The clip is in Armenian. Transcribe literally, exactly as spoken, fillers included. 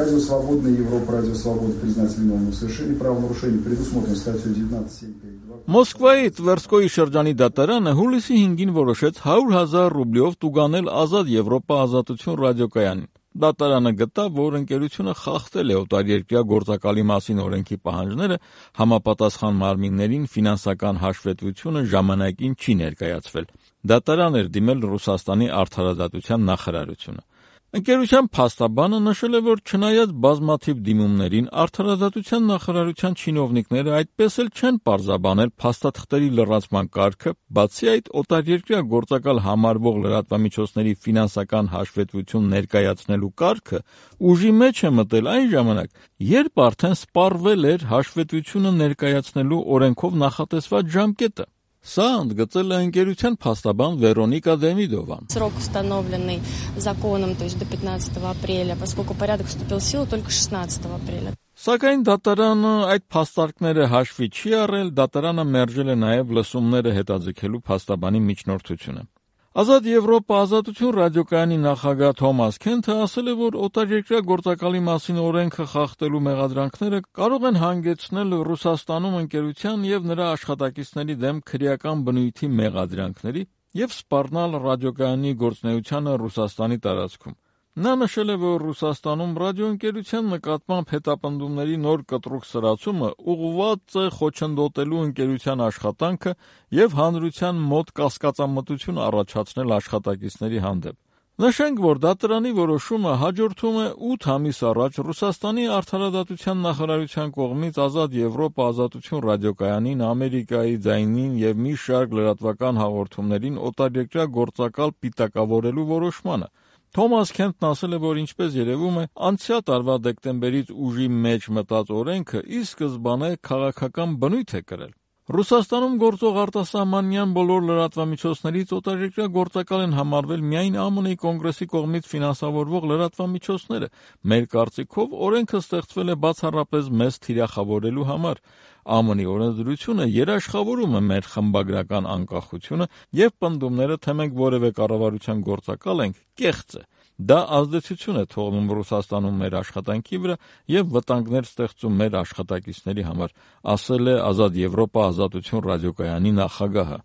Радио Свободна Европа, Радио Свобода признать виновным в совершении правонарушений, предусмотрено статьей девятнадцать семь пять два. Մոսկվայի Տվերսկոյի շրջանի դատարանը հուլիսի հինգին որոշեց հարյուր հազար ռուբլիով տուգանել Ազատ Եվրոպա ազատություն ռադիոկայանին։ Դատարանը գտավ, որ ընկերությունը խախտել է օտարերկրյա գործակալի մասին օրենքի պահանջները, համապատասխան մարմիններին ֆինանսական հաշվետվությունը ժամանակին չի ներկայացվել։ Դատարան էր դիմել Ռուսաստանի արդարադատության նախարարությունը։ Ընկերության փաստաբանը նշել է, որ չնայած բազմաթիվ դիմումներին, արդարադատության նախարարության չինովնիկները այդպես էլ չեն պարզաբանել փաստաթղթերի լրացման կարգը, բացի այդ օտարերկրյա գործակալ համարվող լրատվամիջոցների ֆինանսական հաշվետվություն ներկայացնելու կարգը ուժի մեջ է մտել այն ժամանակ, երբ արդեն սպառվել էր հաշվետվությունը ներկայացնելու օրենքով նախատեսված ժամկետը։ Սա ընդգծել է ընկերության փաստաբան Վերոնիկա Դեմիդովան։ Срок, установленный законом, то есть до пятнадцатого апреля, поскольку порядок вступил в силу только шестнадцатого апреля. Սակայն դատարանը այդ փաստարկները հաշվի չի առել, դատարանը մերժել է նաև լսումները հետաձգելու փաստաբանի միջնորդությունը։ Ազատ Եվրոպա ազատություն ռադիոկայանի նախագահ Թոմաս Քենթը ասել է, որ օտարերկրյա գործակալի մասին օրենքը խախտելու մեղադրանքները կարող են հանգեցնել Ռուսաստանում ընկերության եւ նրա աշխատակիցների դեմ քրեական բնույթի մեղադրանքների եւ սպառնալ ռադիոկայանի գործունեությանը Ռուսաստանի տարածքում։ Նա նշել է, որ Ռուսաստանում ռադիոընկերության նկատմամբ հետապնդումների նոր կտրուկ սրացումը ուղղված է խոչընդոտելու ընկերության աշխատանքը եւ հանրության մոտ կասկածամտություն առաջացնել աշխատակիցների հանդեպ։ Նշենք, որ դատարանի որոշումը հաջորդում է ութ ամիս առաջ Ռուսաստանի արդարադատության նախարարության կողմից Ազատ Եվրոպա ազատություն ռադիոկայանին, Ամերիկայի ձայնին եւ մի շարք լրատվական հաղորդումներին օտարերկրյա գործակալ պիտակավորելու որոշմանը։ Թոմաս Քենթն ասել է, որ ինչպես երևում է, անցյալ տարվա դեկտեմբերից ուժի մեջ մտած օրենքը ի սկզբանե քաղաքական բնույթ է կրել։ Ռուսաստանում գործող արտասահմանյան բոլոր լրատվամիջոցներից օտարերկրյա գործակալ են համարվել միայն Է Մ Ն-ի կոնգրեսի կողմից ֆինանսավորվող լրատվամիջոցները։ Մեր կարծիքով օրենքը ստեղծվել է բացառապես մեզ թիրախավորելու համար։ Է Մ Ն-ի օրենսդրությունը երաշխավորում է մեր խմբագրական անկախությունը եւ պնդումները, թե մենք որևէ կառավարության գործակալ ենք, կեղծ է։ Դա ազդեցություն է թողնում Ռուսաստանում մեր աշխատանքի վրա եւ վտանգներ ստեղծում մեր աշխատակիցների համար, ասել է Ազատ Եվրոպա ազատություն ռադիոկայանի նախագահը։